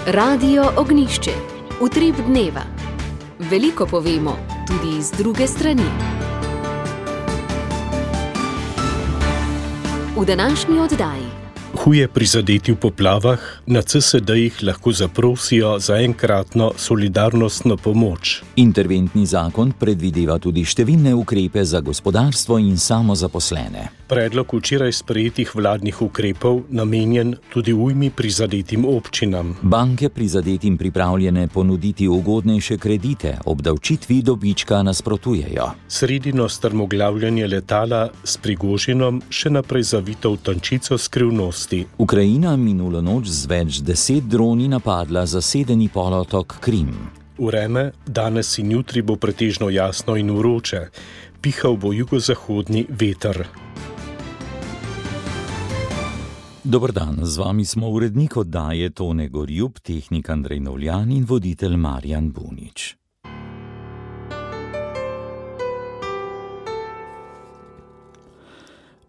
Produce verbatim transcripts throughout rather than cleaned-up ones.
Radio Ognjišče. Utrip dneva. Veliko povemo, tudi iz druge strani. V današnji oddaji. Huje prizadeti v poplavah, na C S D-jih lahko zaprosijo za enkratno solidarnostno pomoč. Interventni zakon predvideva tudi številne ukrepe za gospodarstvo in samozaposlene. Predlog včeraj sprejetih vladnih ukrepov namenjen tudi ujmi prizadetim občinam. Banke prizadetim pripravljene ponuditi ugodnejše kredite, obdavčitvi dobička nasprotujejo. Sredino strmoglavljanje letala s Prigožinom še naprej zavito v tančico skrivnosti. Ukrajina minulo noč z več deset droni napadla zasedeni polotok Krim. Vreme danes in jutri bo pretežno jasno in vroče. Pihal bo jugozahodni veter. Dober dan, z vami smo urednik oddaje Tone Gorjub, tehnik Andrej Novljan in voditelj Marjan Bunič.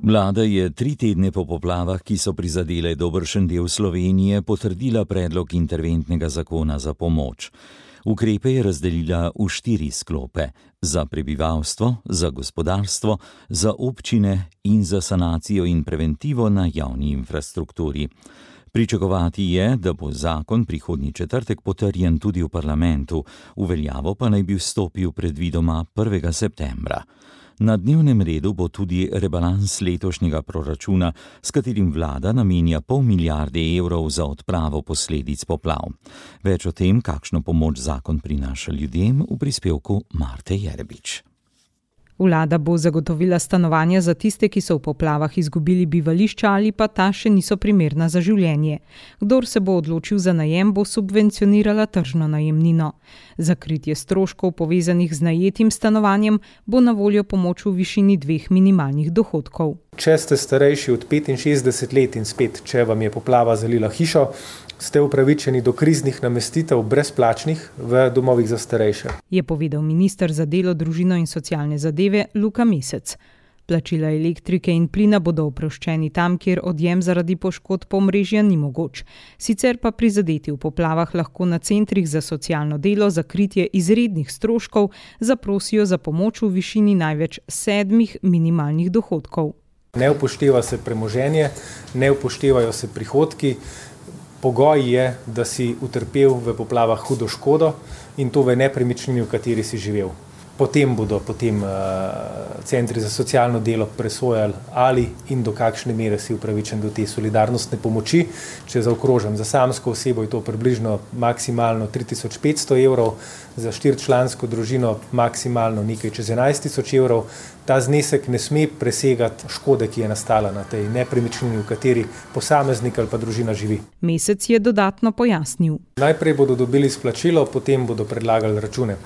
Vlada je tri tedne po poplavah, ki so prizadele dobršen del Slovenije, potrdila predlog interventnega zakona za pomoč. Ukrepe je razdelila v štiri sklope: za prebivalstvo, za gospodarstvo, za občine in za sanacijo in preventivo na javni infrastrukturi. Pričakovati je, da bo zakon prihodnji četrtek potrjen tudi v parlamentu, v veljavo pa naj bi vstopil predvidoma prvega septembra. Na dnevnem redu bo tudi rebalans letošnjega proračuna, s katerim vlada namenja pol milijarde evrov za odpravo posledic poplav. Več o tem, kakšno pomoč zakon prinaša ljudem, v prispevku Marte Jerebič. Vlada bo zagotovila stanovanja za tiste, ki so v poplavah izgubili bivališča ali pa ta še niso primerna za življenje. Kdor se bo odločil za najem, bo subvencionirala tržno najemnino. Za kritje stroškov povezanih z najetim stanovanjem bo na voljo pomoč v višini dveh minimalnih dohodkov. Če ste starejši od petinšestdeset let in spet, če vam je poplava zalila hišo, ste upravičeni do kriznih namestitev brezplačnih v domovih za starejše. Je povedal minister za delo, družino in socialne zadeve Luka Mesec. Plačila elektrike in plina bodo oproščeni tam, kjer odjem zaradi poškodb omrežja ni mogoč. Sicer pa prizadeti v poplavah lahko na centrih za socialno delo za kritje izrednih stroškov zaprosijo za pomoč v višini največ sedmih minimalnih dohodkov. Ne upošteva se premoženje, ne upoštevajo se prihodki. Pogoj je, da si utrpel v poplavah hudo škodo in to v nepremičnini, v kateri si živel. Potem bodo potem uh, centri za socialno delo presojali, ali in do kakšne mere si upravičen do te solidarnostne pomoči. Če zaokrožim, za samsko osebo je to približno maksimalno tri tisoč petsto evrov, za štiričlansko družino maksimalno nekaj čez enajst tisoč evrov. Ta znesek ne sme presegati škode, ki je nastala na tej nepremičnini, v kateri posameznik ali pa družina živi. Mesec je dodatno pojasnil. Najprej bodo dobili splačilo, potem bodo predlagali račune,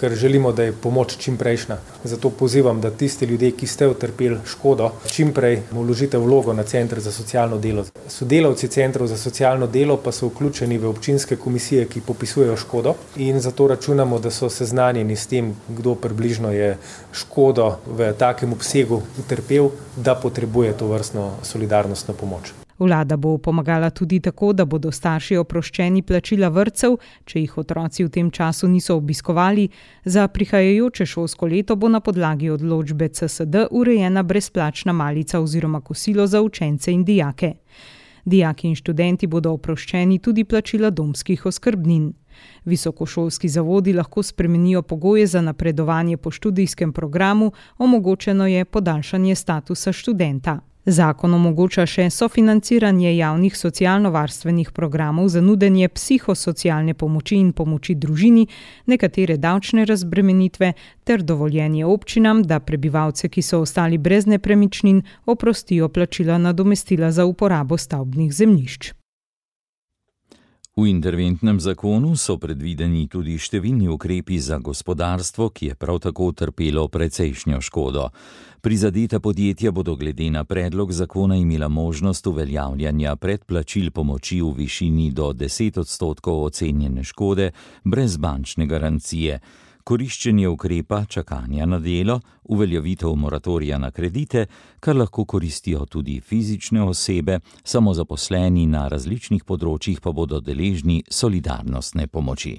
ker želimo, da je pomoč čim prejšnja. Zato pozivam, da tisti ljudje, ki ste utrpeli škodo, čim prej vložite vlogo na Center za socialno delo. Sodelavci Centrov za socialno delo pa so vključeni v občinske komisije, ki popisujejo škodo, in zato računamo, da so seznanjeni s tem, kdo približno je škodo v takem obsegu utrpel, da potrebuje to vrstno solidarnostno pomoč. Vlada bo pomagala tudi tako, da bodo starši oproščeni plačila vrtcev, če jih otroci v tem času niso obiskovali. Za prihajajoče šolsko leto bo na podlagi odločbe C S D urejena brezplačna malica oziroma kosilo za učence in dijake. Dijaki in študenti bodo oproščeni tudi plačila domskih oskrbnin. Visokošolski zavodi lahko spremenijo pogoje za napredovanje po študijskem programu, omogočeno je podaljšanje statusa študenta. Zakon omogoča še sofinanciranje javnih socialno-varstvenih programov za nudenje psihosocialne pomoči in pomoči družini, nekatere davčne razbremenitve ter dovoljenje občinam, da prebivalce, ki so ostali brez nepremičnin, oprostijo plačila nadomestila za uporabo stavbnih zemljišč. V interventnem zakonu so predvideni tudi številni ukrepi za gospodarstvo, ki je prav tako utrpelo precejšnjo škodo. Prizadeta podjetja bodo glede na predlog zakona imela možnost uveljavljanja predplačil pomoči v višini do deset odstotkov ocenjene škode brez bančne garancije. koriščenje ukrepa čakanja na delo, uveljavitev moratorija na kredite, kar lahko koristijo tudi fizične osebe, samozaposleni na različnih področjih pa bodo deležni solidarnostne pomoči.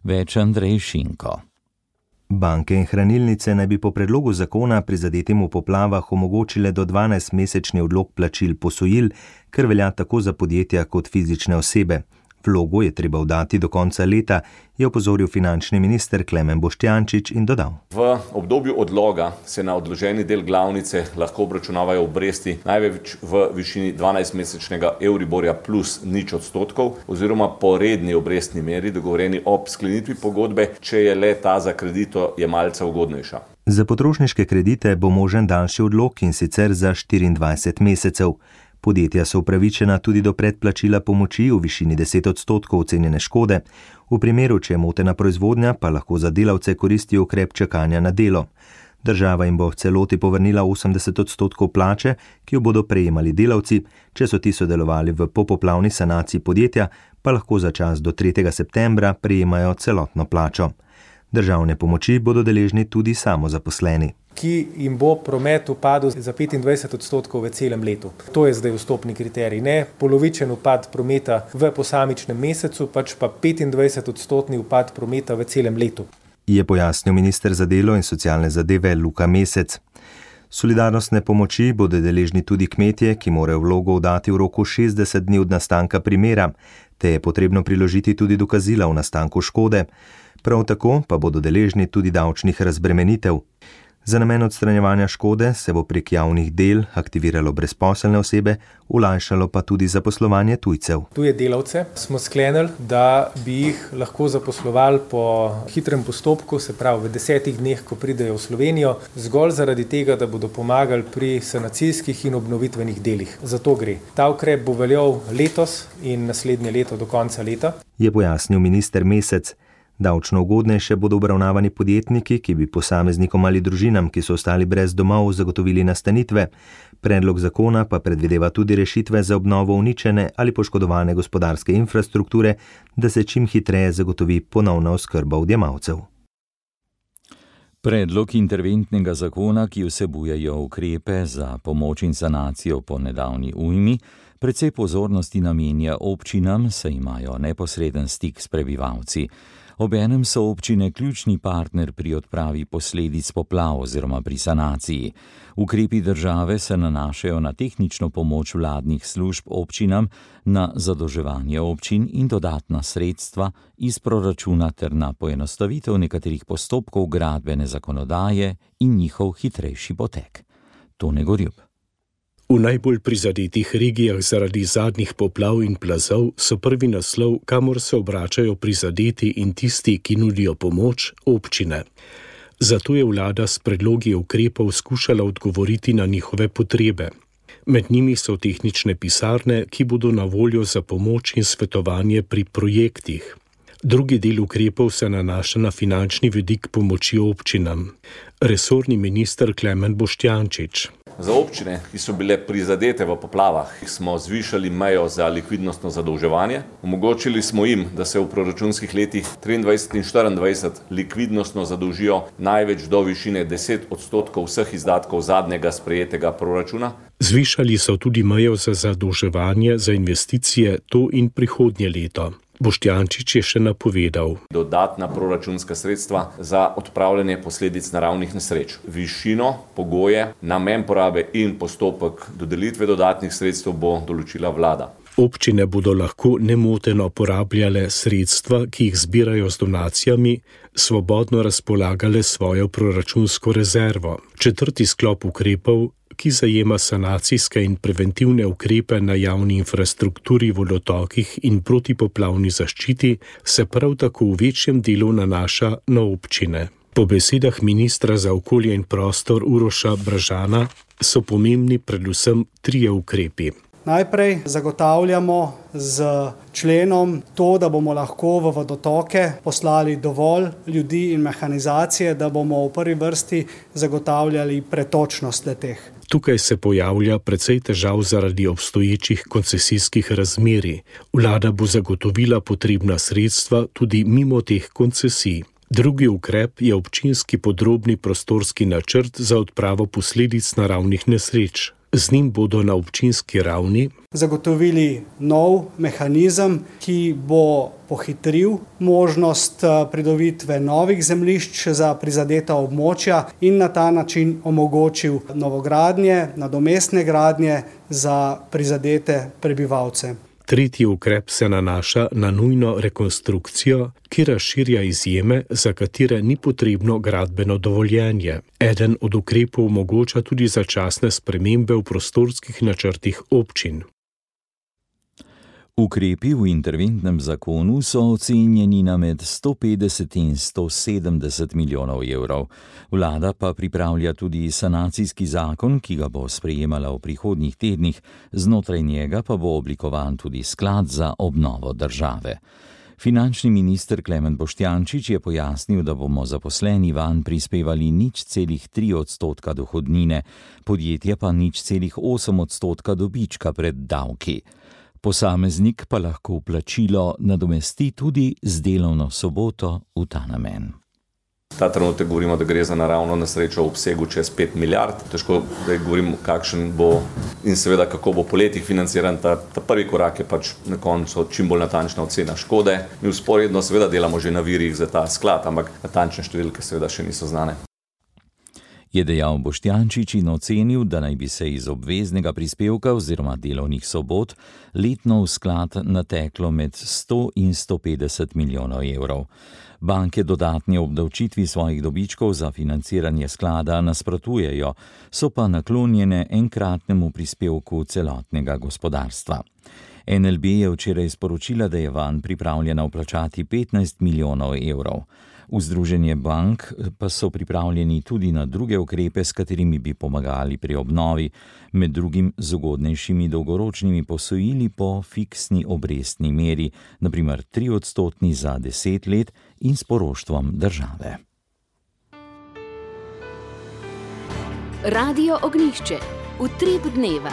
Več Andrej Šinko. Banke in hranilnice naj bi po predlogu zakona prizadetim v poplavah omogočile do dvanajstmesečni odlog plačil posojil, kar velja tako za podjetja kot fizične osebe. Vlogo je treba vdati do konca leta, je opozoril finančni minister Klemen Boštjančič in dodal. V obdobju odloga se na odloženi del glavnice lahko obračunavajo obresti največ v višini dvanajstmesečnega Euriborja plus nič odstotkov oziroma po redni obrestni meri dogovorjeni ob sklenitvi pogodbe, če je le ta za kreditojemalca ugodnejša. Za potrošniške kredite bo možen daljši odlog in sicer za štiriindvajset mesecev. Podjetja so upravičena tudi do predplačila pomoči v višini deset odstotkov ocenjene škode. V primeru, če je motena proizvodnja, pa lahko za delavce koristi ukrep čakanja na delo. Država jim bo v celoti povrnila osemdeset odstotkov plače, ki jo bodo prejemali delavci, če so ti sodelovali v popoplavni sanaciji podjetja, pa lahko za čas do tretjega septembra prejemajo celotno plačo. Državne pomoči bodo deležni tudi samozaposleni, ki jim bo promet upadel za petindvajset odstotkov v celem letu. To je zdaj vstopni kriterij, ne polovičen upad prometa v posamičnem mesecu, pač pa petindvajset odstotni upad prometa v celem letu. Je pojasnil minister za delo in socialne zadeve Luka Mesec. Solidarnostne pomoči bodo deležni tudi kmetje, ki morajo vlogo vdati v roku šestdeset dni od nastanka primera, te je potrebno priložiti tudi dokazila o nastanku škode. Prav tako pa bodo deležni tudi davčnih razbremenitev. Za namen odstranjevanja škode se bo prek javnih del aktiviralo brezposelne osebe, olajšalo pa tudi zaposlovanje tujcev. Tuje delavce smo sklenili, da bi jih lahko zaposlovali po hitrem postopku, se pravi v desetih dneh, ko pridejo v Slovenijo, zgolj zaradi tega, da bodo pomagali pri sanacijskih in obnovitvenih delih. Zato gre. Ta ukrep bo veljal letos in naslednje leto do konca leta, je pojasnil minister Mesec. Davčno ugodnejše bodo obravnavani podjetniki, ki bi posameznikom ali družinam, ki so ostali brez domov, zagotovili nastanitve. Predlog zakona pa predvideva tudi rešitve za obnovo uničene ali poškodovane gospodarske infrastrukture, da se čim hitreje zagotovi ponovna oskrba odjemalcev. Predlog interventnega zakona, ki vsebujejo ukrepe za pomoč in sanacijo po nedavni ujmi, precej pozornosti namenja občinam, saj imajo neposreden stik s prebivalci. Obenem so občine ključni partner pri odpravi posledic poplav oziroma pri sanaciji. Ukrepi države se nanašajo na tehnično pomoč vladnih služb občinam, na zadolževanje občin in dodatna sredstva iz proračuna ter na poenostavitev nekaterih postopkov gradbene zakonodaje in njihov hitrejši potek. Tone Gorjup. V najbolj prizadetih regijah zaradi zadnjih poplav in plazov so prvi naslov, kamor se obračajo prizadeti in tisti, ki nudijo pomoč, občine. Zato je vlada s predlogi ukrepov skušala odgovoriti na njihove potrebe. Med njimi so tehnične pisarne, ki bodo na voljo za pomoč in svetovanje pri projektih. Drugi del ukrepov se nanaša na finančni vidik pomoči občinam. Resorni minister Klemen Boštjančič. Za občine, ki so bile prizadete v poplavah, smo zvišali mejo za likvidnostno zadolževanje. Omogočili smo jim, da se v proračunskih letih triindvajset in štiriindvajset likvidnostno zadolžijo največ do višine deset odstotkov vseh izdatkov zadnjega sprejetega proračuna. Zvišali so tudi mejo za zadolževanje za investicije to in prihodnje leto. Boštjančič je še napovedal. Dodatna proračunska sredstva za odpravljanje posledic naravnih nesreč. Višino, pogoje, namen porabe in postopek dodelitve dodatnih sredstev bo določila vlada. Občine bodo lahko nemoteno porabljale sredstva, ki jih zbirajo z donacijami, svobodno razpolagale svojo proračunsko rezervo. Četrti sklop ukrepov, ki zajema sanacijske in preventivne ukrepe na javni infrastrukturi, vodotokih in protipoplavni zaščiti, se prav tako v večjem delu nanaša na občine. Po besedah ministra za okolje in prostor Uroša Brežana so pomembni predvsem trije ukrepi. Najprej zagotavljamo z členom to, da bomo lahko v vodotoke poslali dovolj ljudi in mehanizacije, da bomo v prvi vrsti zagotavljali pretočnost le-teh. Tukaj se pojavlja precej težav zaradi obstoječih koncesijskih razmerij. Vlada bo zagotovila potrebna sredstva tudi mimo teh koncesij. Drugi ukrep je občinski podrobni prostorski načrt za odpravo posledic naravnih nesreč. Z njim bodo na občinski ravni zagotovili nov mehanizem, ki bo pohitril možnost pridobitve novih zemljišč za prizadeta območja in na ta način omogočil novogradnje, nadomestne gradnje za prizadete prebivalce. Tretji ukrep se nanaša na nujno rekonstrukcijo, ki razširja izjeme, za katere ni potrebno gradbeno dovoljenje. Eden od ukrepov omogoča tudi začasne spremembe v prostorskih načrtih občin. Ukrepi v interventnem zakonu so ocenjeni na med sto petdeset in sto sedemdeset milijonov evrov. Vlada pa pripravlja tudi sanacijski zakon, ki ga bo sprejemala v prihodnjih tednih, znotraj njega pa bo oblikovan tudi sklad za obnovo države. Finančni minister Klemen Boštjančič je pojasnil, da bomo zaposleni vanj prispevali nič celih tri odstotka dohodnine, podjetje pa nič celih osem odstotka dobička pred davki. Posameznik pa lahko plačilo nadomesti tudi z delovno soboto v ta namen. Ta trenutek govorimo, da gre za naravno nesrečo v obsegu čez pet milijard. Težko, da govorim, kakšen bo in seveda kako bo po letih financiran. Ta, ta prvi korak je pač na koncu čim bolj natančna ocena škode. Mi vzporedno seveda delamo že na virih za ta sklad, ampak natančne številke seveda še niso znane. Je dejal Boštjančič in ocenil, da naj bi se iz obveznega prispevka oziroma delovnih sobot letno v sklad nateklo med sto in sto petdeset milijonov evrov. Banke dodatni obdavčitvi svojih dobičkov za financiranje sklada nasprotujejo, so pa naklonjene enkratnemu prispevku celotnega gospodarstva. N L B je včeraj sporočila, da je vanj pripravljena vplačati petnajst milijonov evrov. V Združenje bank pa so pripravljeni tudi na druge ukrepe, s katerimi bi pomagali pri obnovi, med drugim z ugodnejšimi dolgoročnimi posojili po fiksni obrestni meri, na primer tri odstotni za deset let in s poroštvom države. Radio Ognjišče, utrip dneva.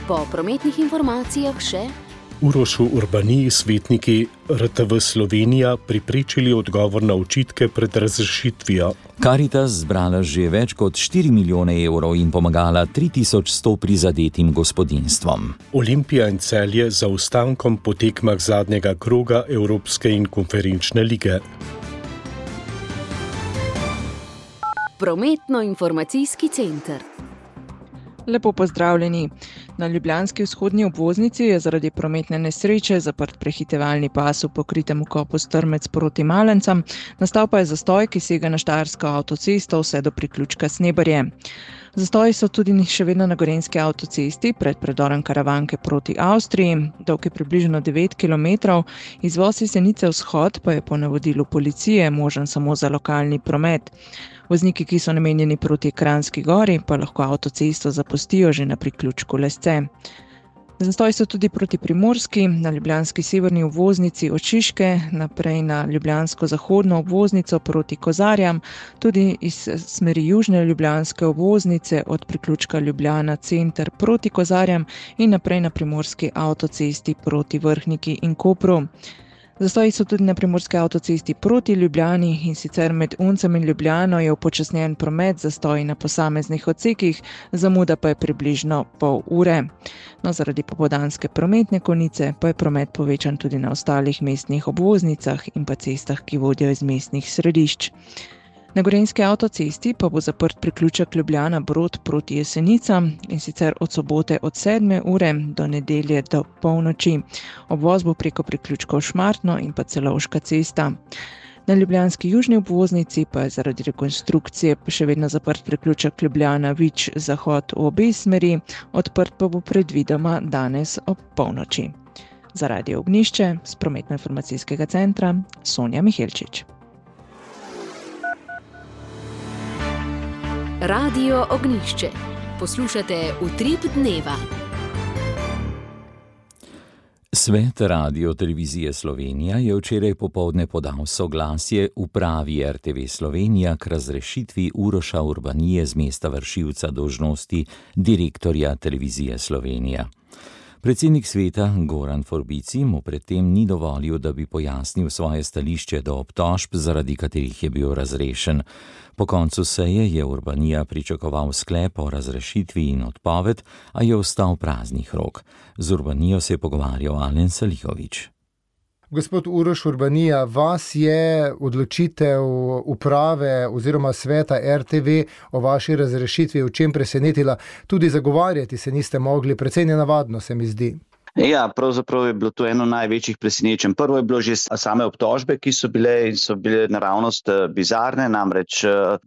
Po prometnih informacijah še Urošu Urbaniji svetniki R T V Slovenija priprečili odgovor na očitke pred razrešitvijo. Karitas zbrala že več kot štiri milijone evrov in pomagala tri tisoč sto prizadetim gospodinjstvom. Olimpija in Celje za ostankom po tekmah zadnjega kroga Evropske in konferenčne lige. Prometno-informacijski center. Lepo pozdravljeni. Na ljubljanski vzhodni obvoznici je zaradi prometne nesreče zaprt prehitevalni pas v pokritem kopu Strmec proti Malencam, nastal pa je zastoj, ki sega na štajersko avtocesto vse do priključka Snebarje. Zastoji so tudi še vedno na gorenjski avtocesti pred predorom Karavanke proti Avstriji, dolg je približno devet kilometrov, izvoz iz Senice vzhod pa je po navodilu policije možen samo za lokalni promet. Vozniki, ki so namenjeni proti Kranjski gori, pa lahko avtocesto zapustijo že na priključku Lesce. Zastoji so tudi proti Primorski, na ljubljanski severni obvoznici od Šiške, naprej na ljubljansko zahodno obvoznico proti Kozarjam, tudi iz smeri južne ljubljanske obvoznice od priključka Ljubljana center proti Kozarjam in naprej na primorski avtocesti proti Vrhniki in Kopru. Zastoji so tudi na primorski avtocesti proti Ljubljani in sicer med Uncem in Ljubljano je upočasnjen promet, zastoji na posameznih odsekih, zamuda pa je približno pol ure. No, zaradi popoldanske prometne konice pa je promet povečan tudi na ostalih mestnih obvoznicah in pa cestah, ki vodijo iz mestnih središč. Na gorenjski avtocesti pa bo zaprt priključek Ljubljana Brod proti Jesenicam in sicer od sobote od sedme ure do nedelje do polnoči. Obvoz bo preko priključkov Šmartno in pa Celovška cesta. Na ljubljanski južni obvoznici pa je zaradi rekonstrukcije še vedno zaprt priključek Ljubljana Vič zahod v obe smeri, odprt pa bo predvidoma danes ob polnoči. Za Radio Ognjišče s prometno-informacijskega centra Sonja Mihelčič. Radio Ognjišče. Poslušate Utrip dneva. Svet Radio Televizije Slovenija je včeraj popoldne podal soglasje upravi R T V Slovenija k razrešitvi Uroša Urbanije z mesta vršilca dolžnosti direktorja Televizije Slovenija. Predsednik sveta Goran Forbici mu predtem ni dovolil, da bi pojasnil svoje stališče do obtožb, zaradi katerih je bil razrešen. Po koncu seje je Urbanija pričakoval sklep o razrešitvi in odpoved, a je ostal praznih rok. Z Urbanijo se je pogovarjal Alen Salihović. Gospod Uroš Urbanija, vas je odločitev uprave oziroma sveta R T V o vaši razrešitvi v čem presenetila? Tudi zagovarjati se niste mogli, precej nenavadno se mi zdi. Ja, pravzaprav je bilo to eno največjih presenečenj. Prvo je bilo že same obtožbe, ki so bile in so bile naravnost bizarne, namreč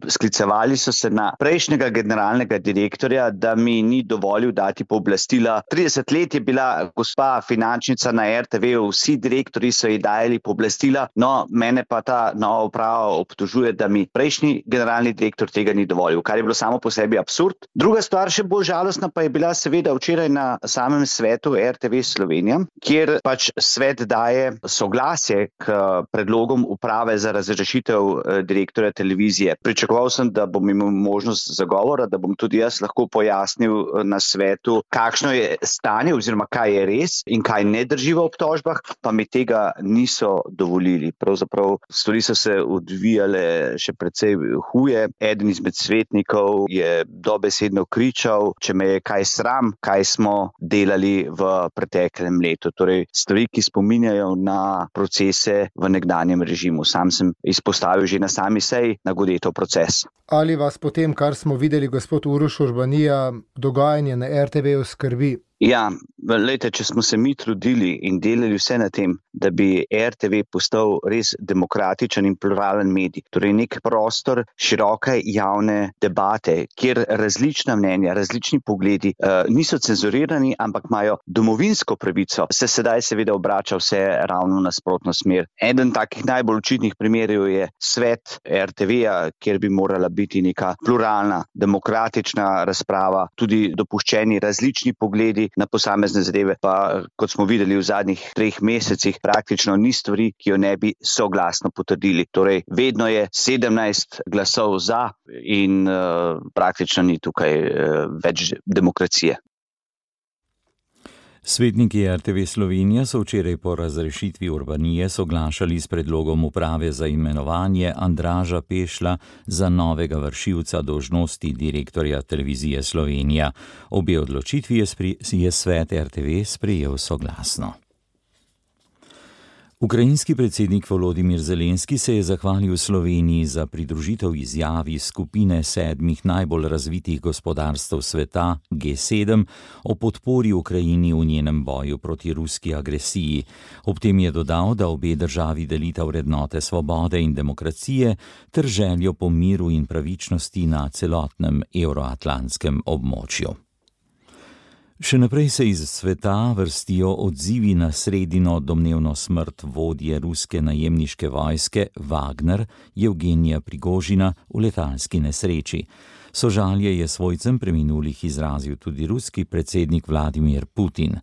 sklicevali so se na prejšnjega generalnega direktorja, da mi ni dovolil dati pooblastila. trideset let je bila gospa finančnica na R T V, vsi direktorji so ji dajali pooblastila, no mene pa ta nova uprava obtožuje, da mi prejšnji generalni direktor tega ni dovolil, kar je bilo samo po sebi absurd. Druga stvar, še bolj žalostna, pa je bila seveda včeraj na samem svetu R T V Slovenija, kjer pač svet daje soglasje k predlogom uprave za razrešitev direktorja televizije. Pričakoval sem, da bom imel možnost zagovora, da bom tudi jaz lahko pojasnil na svetu, kakšno je stanje oziroma kaj je res in kaj ne drži v obtožbah, pa mi tega niso dovolili. Pravzaprav stvari so se odvijale še precej huje. Eden izmed svetnikov je dobesedno kričal, če me je kaj sram, kaj smo delali v preteklem letu. Torej, stvari, ki spominjajo na procese v nekdanjem režimu. Sam sem izpostavil že na sami seji na Godetov proces. Ali vas potem, kar smo videli, gospod Uroš Urbanija, dogajanje na R T V-ju skrbi? Ja, lejte, če smo se mi trudili in delali vse na tem, da bi R T V postal res demokratičen in pluralen medij, torej nek prostor široke javne debate, kjer različna mnenja, različni pogledi eh, niso cenzurirani, ampak imajo domovinsko pravico, se sedaj seveda obrača vse ravno nasprotno smer. Eden takih najbolj očitnih primerov je svet R T V-ja, kjer bi morala biti neka pluralna, demokratična razprava, tudi dopuščeni različni pogledi na posamezne zadeve, pa kot smo videli v zadnjih treh mesecih, praktično ni stvari, ki jo ne bi soglasno potrdili. Torej, vedno je sedemnajst glasov za in uh, praktično ni tukaj uh, več demokracije. Svetniki R T V Slovenija so včeraj po razrešitvi Urbanije soglašali s predlogom uprave za imenovanje Andraža Pešla za novega vršilca dolžnosti direktorja Televizije Slovenija. Obe odločitvi je, spri, je svet R T V sprejel soglasno. Ukrajinski predsednik Volodimir Zelenski se je zahvalil Sloveniji za pridružitev izjavi skupine sedmih najbolj razvitih gospodarstev sveta G sedem o podpori Ukrajini v njenem boju proti ruski agresiji. Ob tem je dodal, da obe državi delita vrednote svobode in demokracije ter željo po miru in pravičnosti na celotnem evroatlantskem območju. Še naprej se iz sveta vrstijo odzivi na sredino domnevno smrt vodje ruske najemniške vojske Wagner Jevgenija Prigožina v letalski nesreči. Sožalje je svojcem preminulih izrazil tudi ruski predsednik Vladimir Putin.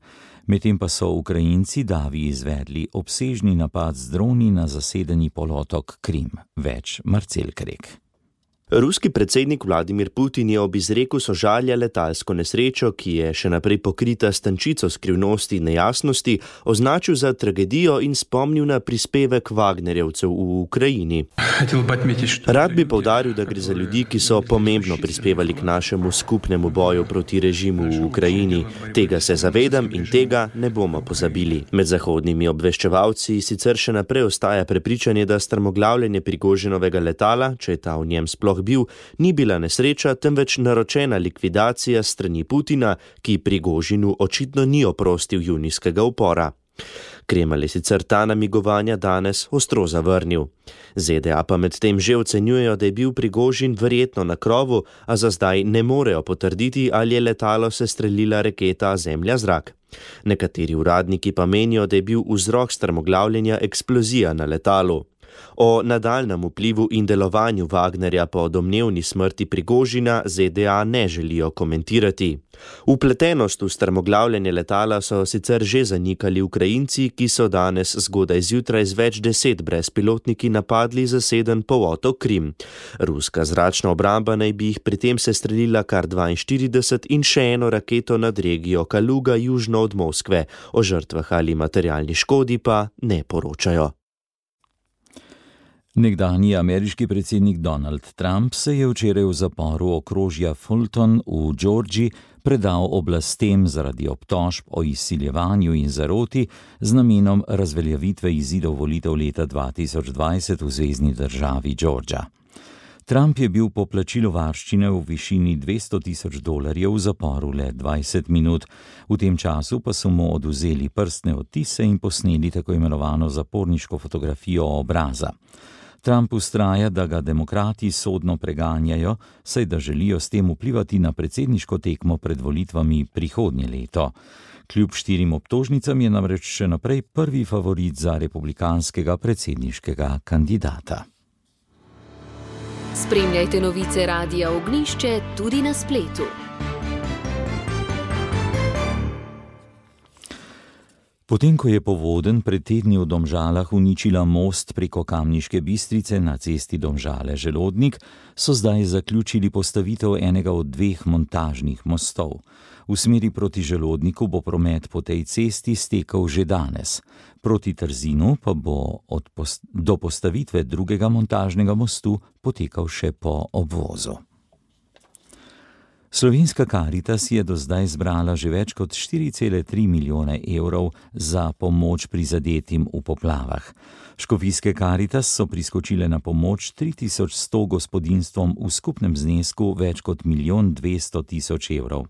Medtem pa so Ukrajinci davi izvedli obsežni napad z droni na zasedeni polotok Krim. Več Marcel Krek. Ruski predsednik Vladimir Putin je ob izreku sožalja letalsko nesrečo, ki je še naprej pokrita s tančico skrivnosti in nejasnosti, označil za tragedijo in spomnil na prispevek Wagnerjevcev v Ukrajini. Rad bi poudaril, da gre za ljudi, ki so pomembno prispevali k našemu skupnemu boju proti režimu v Ukrajini. Tega se zavedam in tega ne bomo pozabili. Med zahodnimi obveščevalci sicer še naprej ostaja prepričanje, da strmoglavljenje Prigožinovega letala, če je ta v njem sploh bil, ni bila nesreča, temveč naročena likvidacija strani Putina, ki Prigožinu očitno ni oprostil junijskega upora. Kremelj je sicer ta namigovanja danes ostro zavrnil. Z D A pa medtem že ocenjujejo, da je bil Prigožin verjetno na krovu, a za zdaj ne morejo potrditi, ali je letalo sestrelila raketa Zemlja-zrak. Nekateri uradniki pa menijo, da je bil vzrok strmoglavljenja eksplozija na letalu. O nadaljnem vplivu in delovanju Wagnerja po domnevni smrti Prigožina Z D A ne želijo komentirati. Vpletenost v strmoglavljanje letala so sicer že zanikali Ukrajinci, ki so danes zgodaj zjutraj z več deset brezpilotniki napadli zaseden polotok Krim. Ruska zračna obramba naj bi jih pri tem sestrelila kar dvainštirideset in še eno raketo nad regijo Kaluga južno od Moskve. O žrtvah ali materialni škodi pa ne poročajo. Nekdanji ameriški predsednik Donald Trump se je včeraj v zaporu okrožja Fulton v Georgiji predal oblastem zaradi obtožb o izsiljevanju in zaroti z namenom razveljavitve izidov volitev leta dva tisoč dvajset v zvezni državi Georgia. Trump je bil po plačilu varščine v višini dvesto tisoč dolarjev v zaporu le dvajset minut, v tem času pa so mu odvzeli prstne odtise in posneli tako imenovano zaporniško fotografijo obraza. Trump vztraja, da ga demokrati sodno preganjajo, saj da želijo s tem vplivati na predsedniško tekmo pred volitvami prihodnje leto. Kljub štirim obtožnicam je namreč še naprej prvi favorit za republikanskega predsedniškega kandidata. Spremljajte novice Radia Ognjišče tudi na spletu. Potem, ko je povodenj pred tedni v Domžalah uničila most preko Kamniške Bistrice na cesti Domžale-Želodnik, so zdaj zaključili postavitev enega od dveh montažnih mostov. V smeri proti Želodniku bo promet po tej cesti stekel že danes. Proti Trzinu pa bo od post- do postavitve drugega montažnega mostu potekal še po obvozu. Slovenska Karitas je do zdaj zbrala že več kot štiri cele tri milijone evrov za pomoč prizadetim v poplavah. Škofijske Karitas so priskočile na pomoč tri tisoč sto gospodinjstvom v skupnem znesku več kot milijon dvesto tisoč evrov.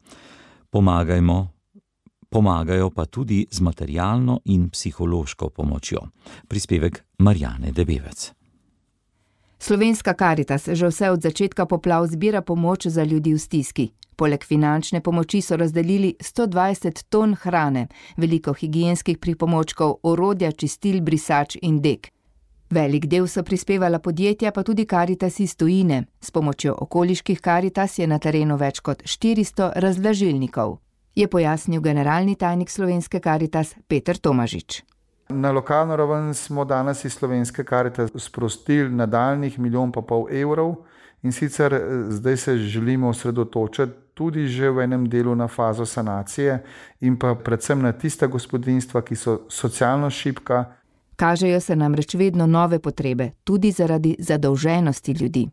Pomagajmo, pomagajo pa tudi z materialno in psihološko pomočjo. Prispevek Marjane Debevec. Slovenska Karitas že vse od začetka poplav zbira pomoč za ljudi v stiski. Poleg finančne pomoči so razdelili sto dvajset ton hrane, veliko higienskih pripomočkov, orodja, čistil, brisač in dek. Velik del so prispevala podjetja, pa tudi Karitas iz tujine. S pomočjo okoliških Karitas je na terenu več kot štiristo razvlažilnikov, je pojasnil generalni tajnik Slovenske Karitas Peter Tomažič. Na lokalno raven smo danes iz Slovenske Karitas sprostili nadaljnjih milijon pa pol evrov in sicer zdaj se želimo osredotočiti tudi že v enem delu na fazo sanacije in pa predvsem na tista gospodinjstva, ki so socialno šibka. Kažejo se namreč vedno nove potrebe, tudi zaradi zadolženosti ljudi.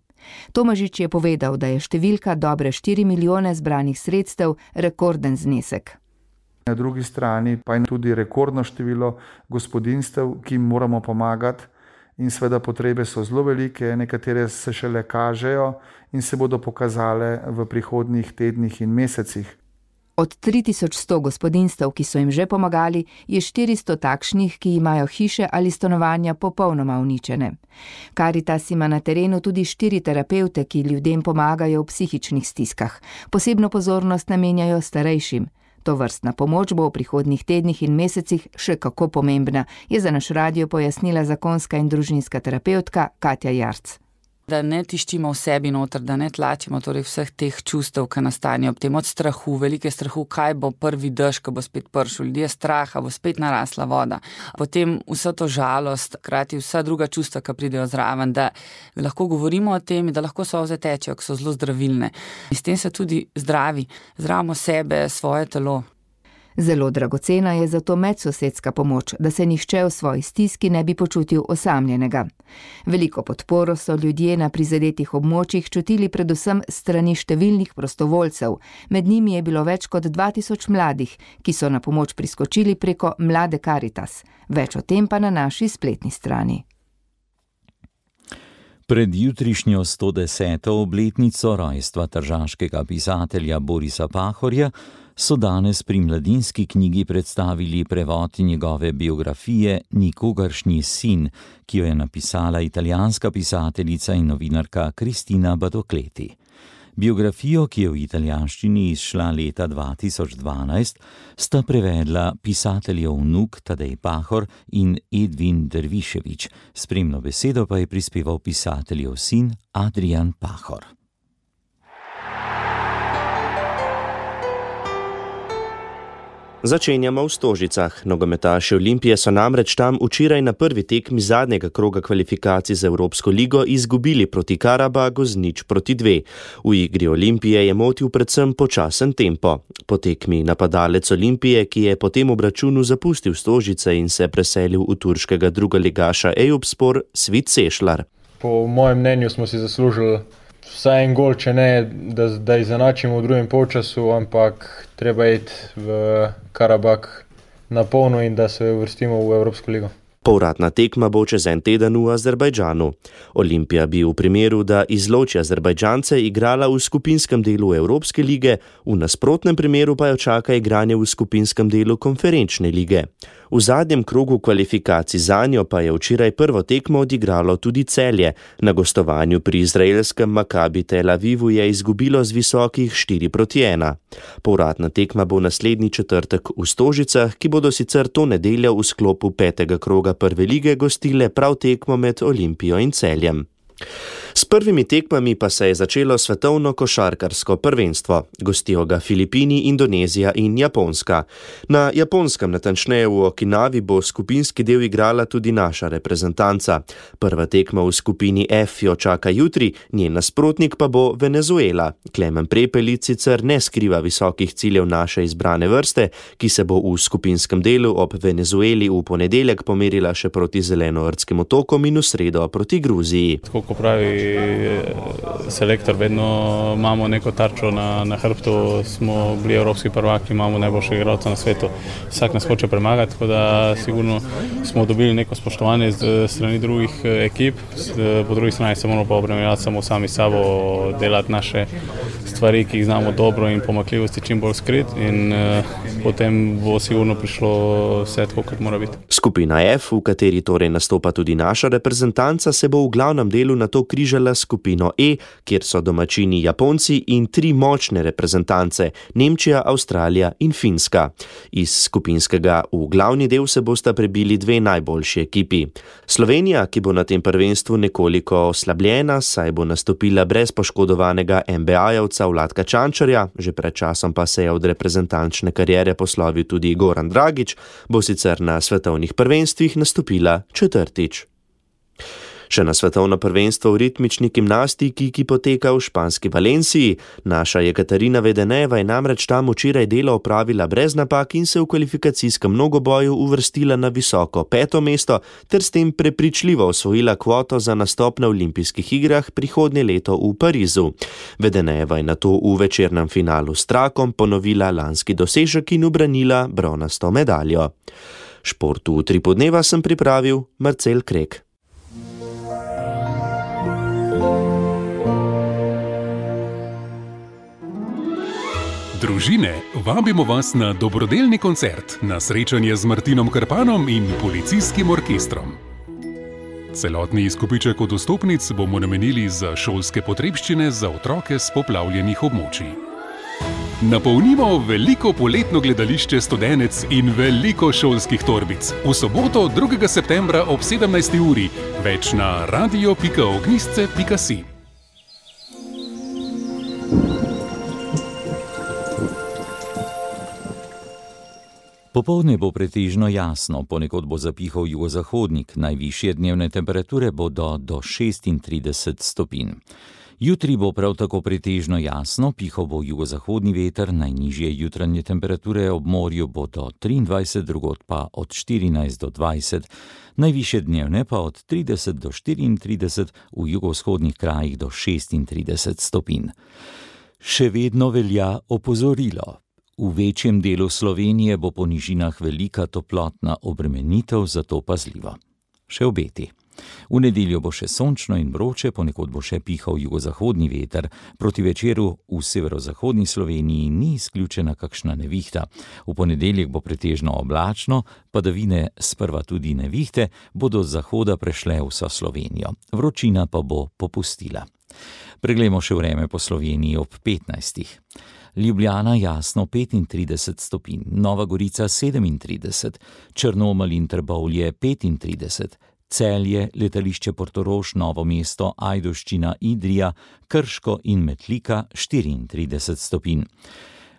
Tomažič je povedal, da je številka dobre štiri milijone zbranih sredstev rekorden znesek. Na drugi strani pa je tudi rekordno število gospodinjstev, ki jim moramo pomagati in seveda potrebe so zelo velike, nekatere se šele kažejo in se bodo pokazale v prihodnjih tednih in mesecih. Od tri tisoč sto gospodinjstev, ki so jim že pomagali, je štiristo takšnih, ki imajo hiše ali stanovanja popolnoma uničene. Karitas ima na terenu tudi štiri terapevte, ki ljudem pomagajo v psihičnih stiskah. Posebno pozornost namenjajo starejšim. To vrstna pomoč bo v prihodnjih tednih in mesecih še kako pomembna, je za naš radio pojasnila zakonska in družinska terapevtka Katja Jarc. Da ne tiščimo v sebi noter, da ne tlačimo torej vseh teh čustev, ki nastanejo ob tem, od strahu, velike strahu, kaj bo prvi dež, ko bo spet pršel, ljudje straha, bo spet narasla voda. Potem vsa to žalost, krati vsa druga čustva, ki pridejo zraven, da lahko govorimo o tem, da lahko solze tečejo, ki so zelo zdravilne. In s tem se tudi zdravi, zdravimo sebe, svoje telo. Zelo dragocena je zato medsosedska pomoč, da se nihče v svoji stiski ne bi počutil osamljenega. Veliko podporo so ljudje na prizadetih območjih čutili predvsem strani številnih prostovoljcev. Med njimi je bilo več kot dva tisoč mladih, ki so na pomoč priskočili preko Mlade Karitas. Več o tem pa na naši spletni strani. Pred jutrišnjo sto deseto obletnico rojstva tržaškega pisatelja Borisa Pahorja so danes pri Mladinski knjigi predstavili prevod njegove biografije Nikogaršnji sin, ki jo je napisala italijanska pisateljica in novinarka Cristina Batocleti. Biografijo, ki je v italijanščini izšla leta dva tisoč dvanajst, sta prevedla pisateljev vnuk Tadej Pahor in Edvin Derviševič, spremno besedo pa je prispeval pisateljev sin Adrian Pahor. Začenjamo v Stožicah. Nogometaši Olimpije so namreč tam včeraj na prvi tekmi zadnjega kroga kvalifikacij za Evropsko ligo izgubili proti Karabagu z nič proti dve. V igri Olimpije je motil predvsem počasen tempo. Po tekmi napadalec Olimpije, ki je po tem obračunu zapustil Stožice in se preselil v turškega drugoligaša Eyüpspor, Svit Sešlar. Po mojem mnenju smo si zaslužili vsaj en gol, če ne, da, da izenačimo v drugem polčasu, ampak treba iti v Karabag na polno in da se uvrstimo v Evropsko ligo. Povratna tekma bo čez en teden v Azerbajdžanu. Olimpija bi v primeru, da izloči Azerbajdžance, igrala v skupinskem delu Evropske lige, v nasprotnem primeru pa jo čaka igranje v skupinskem delu konferenčne lige. V zadnjem krogu kvalifikacij zanjo pa je včeraj prvo tekmo odigralo tudi Celje. Na gostovanju pri izraelskem Makabi Tel Avivu je izgubilo z visokih štiri proti ena. Povratna tekma bo naslednji četrtek v Stožicah, ki bodo sicer to nedeljo v sklopu petega kroga prve lige gostile prav tekmo med Olimpijo in Celjem. S prvimi tekmami pa se je začelo svetovno košarkarsko prvenstvo. Gostijo ga Filipini, Indonezija in Japonska. Na Japonskem, natančneje v Okinavi, bo skupinski del igrala tudi naša reprezentanca. Prva tekma v skupini F jo čaka jutri, njen nasprotnik pa bo Venezuela. Klemen Prepelic sicer ne skriva visokih ciljev naše izbrane vrste, ki se bo v skupinskem delu ob Venezueli v ponedeljek pomerila še proti Zelenoortskim otokom in v sredo proti Gruziji. Tako ko pravi selektor, vedno imamo neko tarčo na, na hrbtu, smo bili evropski prvaki, imamo najboljše igralce na svetu, vsak nas hoče premagati, tako da sigurno smo dobili neko spoštovanje z strani drugih ekip, po drugi strani se moramo pa obremenjati samo sami sabo, delati naše stvari, ki jih znamo dobro in pomakljivosti čim bolj skrit in uh, potem bo sigurno prišlo vse tako, kot mora biti. Skupina F, v kateri torej nastopa tudi naša reprezentanca, se bo v glavnem delu na to križala skupino E, kjer so domačini Japonci in tri močne reprezentance, Nemčija, Avstralija in Finska. Iz skupinskega v glavni del se bosta prebili dve najboljši ekipi. Slovenija, ki bo na tem prvenstvu nekoliko oslabljena, saj bo nastopila brez poškodovanega N B A-jevca Vladka Čančarja, že pred časom pa se je od reprezentančne kariere poslovil tudi Goran Dragić, bo sicer na svetovnih prvenstvih nastopila četrtič. Še na svetovno prvenstvo v ritmični gimnastiki, ki poteka v španski Valenciji. Naša Jekaterina Vedeneva je namreč tam včeraj delo opravila brez napak in se v kvalifikacijskem mnogoboju uvrstila na visoko peto mesto ter s tem prepričljivo osvojila kvoto za nastop na olimpijskih igrah prihodnje leto v Parizu. Vedeneva je nato v večernem finalu s trakom ponovila lanski dosežek in ubranila bronasto medaljo. Športu v tri podneva sem pripravil Marcel Krek. Družine, vabimo vas na dobrodelni koncert, na srečanje z Martinom Krpanom in policijskim orkestrom. Celotni izkupiček od vstopnic bomo namenili za šolske potrebščine za otroke s poplavljenih območij. Napolnimo veliko poletno gledališče Studenec in veliko šolskih torbic. V soboto drugega septembra ob sedemnajsti uri, več na radio pika ognjisce pika si. Popoldne bo pretežno jasno, ponekod bo zapihal jugozahodnik, najvišje dnevne temperature bodo do šestintrideset stopinj. Jutri bo prav tako pretežno jasno, pihal bo jugozahodni veter, najnižje jutranje temperature ob morju bo do triindvajset, drugod pa od štirinajst do dvajset, najvišje dnevne pa od trideset do štiriintrideset, v jugovzhodnih krajih do šestintrideset stopinj. Še vedno velja opozorilo. V večjem delu Slovenije bo po nižinah velika toplotna obremenitev, zato pazljivo. Še obeti. V nedeljo bo še sončno in vroče, ponekod bo še pihal jugozahodni veter. Proti večeru v severozahodni Sloveniji ni izključena kakšna nevihta. V ponedeljek bo pretežno oblačno, padavine, sprva tudi nevihte, bodo z zahoda prešle vso Slovenijo. Vročina pa bo popustila. Preglejmo še vreme po Sloveniji ob petnajstih. Ljubljana jasno petintrideset stopinj, Nova Gorica sedemintrideset, Črnomelj in Trbovlje petintrideset, Celje, letališče Portorož, Novo mesto, Ajdovščina, Idrija, Krško in Metlika štiriintrideset stopinj.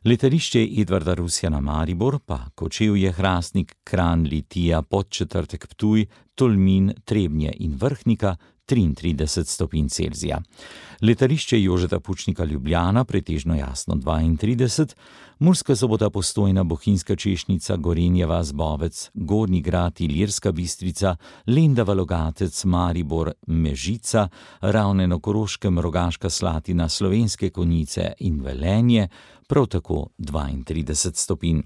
Letališče Edvarda Rusjana Maribor pa Kočevje, Hrastnik, Kranj, Litija, Podčetrtek, Ptuj, Tolmin, Trebnje in Vrhnika triintrideset stopinj Celzija. Letališče Jožeta Pučnika Ljubljana pretežno jasno dvaintrideset, Murska Sobota, Postojna, Bohinjska Češnica, Gorenjeva, Zbovec, Gornji Grad, Ilirska Bistrica, Lendava, Logatec, Maribor, Mežica, Ravne na Koroškem, Rogaška Slatina, Slovenske Konjice in Velenje prav tako dvaintrideset stopinj.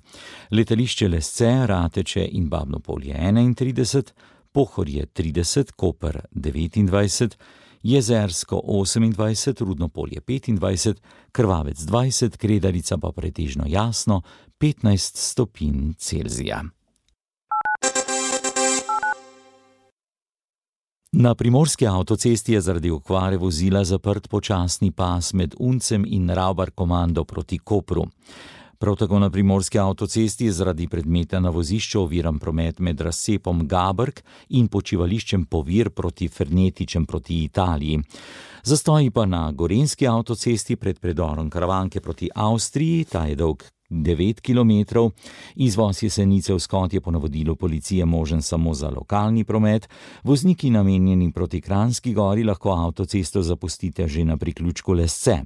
Letališče Lesce, Rateče in Babno Polje enaintrideset, Pohorje trideset, Koper devetindvajset, Jezersko osemindvajset, Rudno Polje petindvajset, Krvavec dvajset, Kredarica pa pretežno jasno petnajst stopinj Celzija. Na primorski avtocesti je zaradi okvare vozila zaprt počasni pas med Uncem in Ravbar komando proti Kopru. Prav tako na primorski avtocesti je zaradi predmeta na vozišču oviran promet med razcepom Gabrk in počivališčem Povir proti Fernetičem proti Italiji. Zastoji pa na gorenjski avtocesti pred predorom Karavanke proti Avstriji, ta je dolg devet kilometrov. Izvoz Jesenice v Skot je po navodilu policije možen samo za lokalni promet. Vozniki namenjeni proti Kranjski Gori lahko avtocesto zapustite že na priključku Lesce.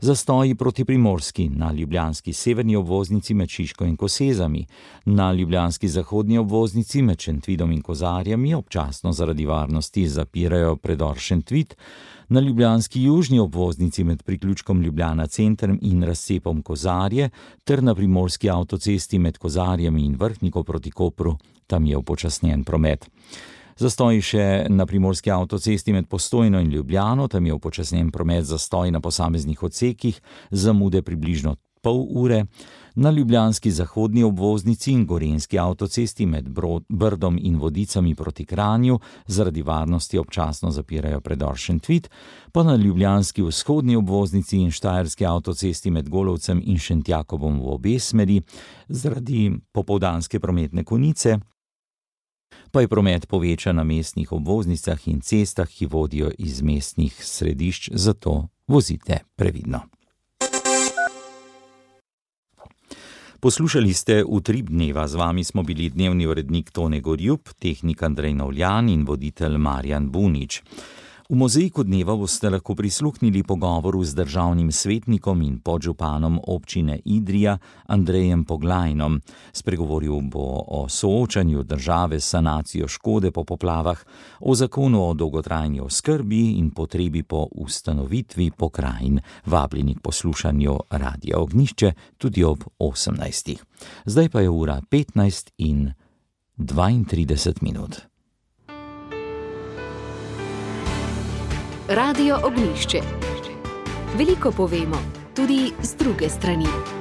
Zastoji proti Primorski na ljubljanski severni obvoznici med Šiško in Kosezami, na ljubljanski zahodni obvoznici med Šentvidom in Kozarjami občasno zaradi varnosti zapirajo predor Šentvid, na ljubljanski južni obvoznici med priključkom Ljubljana Center in razcepom Kozarje ter na primorski avtocesti med Kozarjami in Vrhniko proti Kopru, tam je upočasnjen promet. Zastoji še na primorski avtocesti med Postojno in Ljubljano, tam je upočasnjen promet, zastoj na posameznih odsekih, zamude približno pol ure. Na ljubljanski zahodni obvoznici in gorenjski avtocesti med Brdom in Vodicami proti Kranju zaradi varnosti občasno zapirajo predor Šentvid, pa na ljubljanski vzhodni obvoznici in štajerski avtocesti med Golovcem in Šentjakobom v obe smeri zaradi popoldanske prometne konice, pa je promet povečan na mestnih obvoznicah in cestah, ki vodijo iz mestnih središč, zato vozite previdno. Poslušali ste Utrip dneva, z vami smo bili dnevni urednik Tone Gorjup, tehnik Andrej Novljan in voditelj Marjan Bunič. V mozaiku dneva boste lahko prisluhnili pogovoru z državnim svetnikom in podžupanom občine Idrija Andrejem Poglajnom. Spregovoril bo o soočanju države s sanacijo škode po poplavah, o zakonu o dolgotrajni oskrbi in potrebi po ustanovitvi pokrajin. Vabljeni k poslušanju Radia Ognjišče tudi ob osemnajstih. Zdaj pa je ura petnajst in dvaintrideset minut. Radio Ognjišče. Veliko povemo, tudi z druge strani.